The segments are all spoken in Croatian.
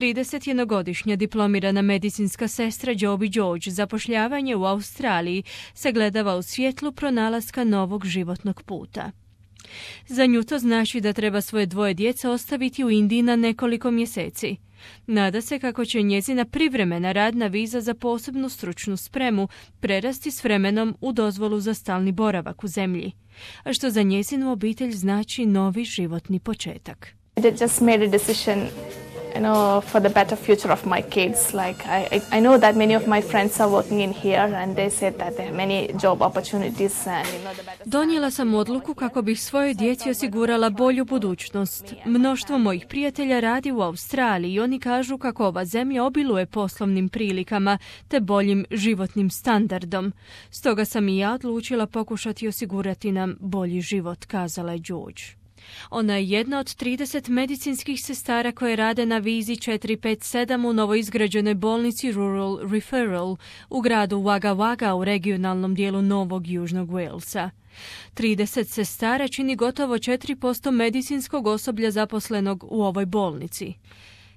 31-godišnja diplomirana medicinska sestra Joby George zapošljavanje u Australiji sagledava u svjetlu pronalaska novog životnog puta. Za nju to znači da treba svoje dvoje djece ostaviti u Indiji na nekoliko mjeseci. Nada se kako će njezina privremena radna viza za posebnu stručnu spremu prerasti s vremenom u dozvolu za stalni boravak u zemlji, a što za njezinu obitelj znači novi životni početak. I just made a decision, for the better future of my kids. Like I know that many of my friends are working in here and they said that there are many job opportunities and the better. Donijela sam odluku kako bih svojoj djeci osigurala bolju budućnost. Mnoštvo mojih prijatelja radi u Australiji i oni kažu kako ova zemlja obiluje poslovnim prilikama te boljim životnim standardom. Stoga sam i ja odlučila pokušati osigurati nam bolji život, kazala je George. Ona je jedna od 30 medicinskih sestara koje rade na vizi 457 u novoizgrađenoj bolnici Rural Referral u gradu Wagga Wagga u regionalnom dijelu Novog Južnog Walesa. 30 sestara čini gotovo 4% medicinskog osoblja zaposlenog u ovoj bolnici.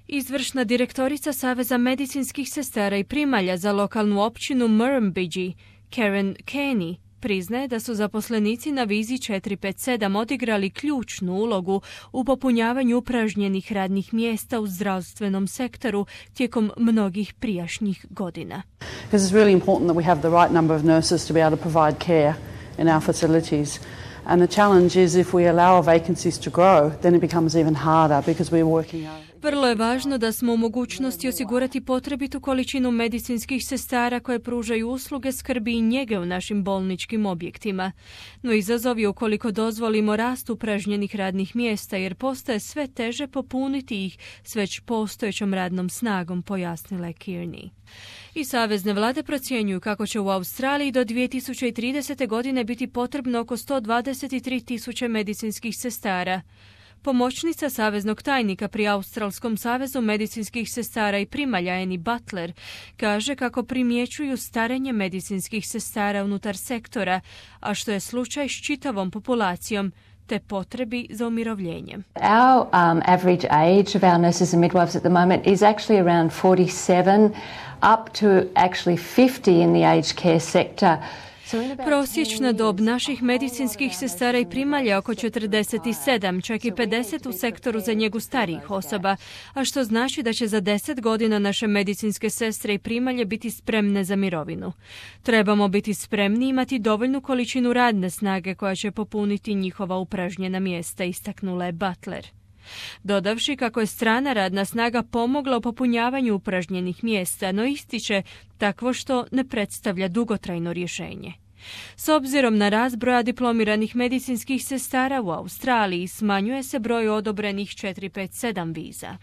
Izvršna direktorica Saveza medicinskih sestara i primalja za lokalnu općinu Murrumbidgee, Karen Kenny, priznaje da su zaposlenici na vizi 457 odigrali ključnu ulogu u popunjavanju upražnjenih radnih mjesta u zdravstvenom sektoru tijekom mnogih prijašnjih godina. Because it's really important that we have the right number of nurses to be able to provide care in our facilities. And the challenge is if we allow our vacancies to grow, then it becomes even harder because we're working out. Vrlo je važno da smo u mogućnosti osigurati potrebitu količinu medicinskih sestara koje pružaju usluge skrbi i njege u našim bolničkim objektima. No izazov je ukoliko dozvolimo rast upražnjenih radnih mjesta jer postaje sve teže popuniti ih s već postojećom radnom snagom, pojasnila je Kearney. I savezne vlade procjenjuju kako će u Australiji do 2030. godine biti potrebno oko 123.000 medicinskih sestara. Pomoćnica saveznog tajnika pri Australskom savezu medicinskih sestara i primalja Annie Butler kaže kako primjećuju starenje medicinskih sestara unutar sektora, a što je slučaj s čitavom populacijom, te potrebi za umirovljenjem. Our average age of our nurses and midwives at the moment is actually around 47 up to actually 50 in the aged care sector. Prosječna dob naših medicinskih sestara i primalja oko 47, čak i 50 u sektoru za njegu starijih osoba, a što znači da će za 10 godina naše medicinske sestre i primalje biti spremne za mirovinu. Trebamo biti spremni imati dovoljnu količinu radne snage koja će popuniti njihova upražnjena mjesta, istaknula je Butler. Dodavši kako je strana radna snaga pomogla u popunjavanju upražnjenih mjesta, no ističe takvo što ne predstavlja dugotrajno rješenje. S obzirom na rast broja diplomiranih medicinskih sestara u Australiji, smanjuje se broj odobrenih 457 viza.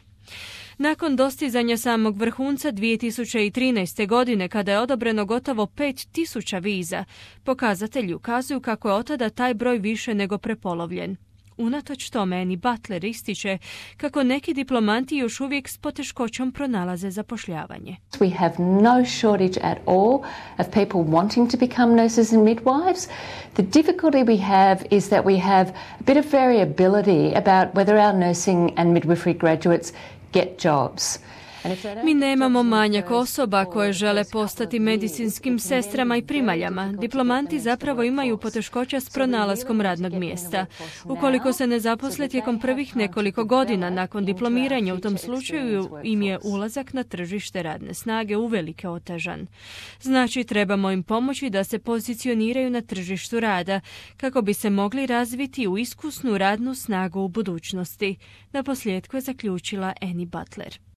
Nakon dostizanja samog vrhunca 2013. godine, kada je odobreno gotovo 5.000 viza, pokazatelji ukazuju kako je od tada taj broj više nego prepolovljen. Unatoč tome, Annie Butler ističe kako neki diplomanti još uvijek s poteškoćom pronalaze zapošljavanje. We have no shortage at all of people wanting to become nurses and midwives. The difficulty we have is that we have a bit of variability about whether our nursing and midwifery graduates get jobs. Mi nemamo manjak osoba koje žele postati medicinskim sestrama i primaljama. Diplomanti zapravo imaju poteškoća s pronalaskom radnog mjesta. Ukoliko se ne zaposle tijekom prvih nekoliko godina nakon diplomiranja, u tom slučaju im je ulazak na tržište radne snage uvelike otežan. Znači, trebamo im pomoći da se pozicioniraju na tržištu rada kako bi se mogli razviti u iskusnu radnu snagu u budućnosti. Naposljetku je zaključila Annie Butler.